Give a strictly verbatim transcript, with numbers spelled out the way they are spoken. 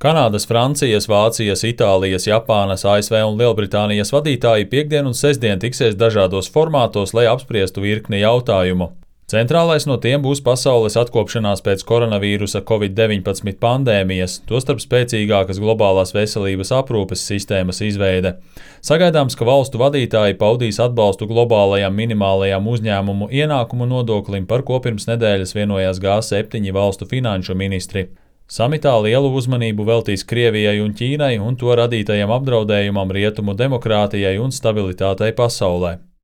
Kanādas, Francijas, Vācijas, Itālijas, Japānas, A S V un Lielbritānijas vadītāji piektdien un sestdien tiksies dažādos formātos, lai apspriestu virkni jautājumu. Centrālais no tiem būs pasaules atkopšanās pēc koronavīrusa covid deviņpadsmit pandēmijas, tostarp spēcīgākas globālās veselības aprūpes sistēmas izveide. Sagaidāms, ka valstu vadītāji paudīs atbalstu globālajam minimālajam uzņēmumu ienākumu nodoklim, par ko pirms nedēļas vienojās G septiņi valstu finanšu ministri. Samitā lielu uzmanību veltīs Krievijai un Ķīnai un to radītajam apdraudējumam rietumu demokrātijai un stabilitātei pasaulē.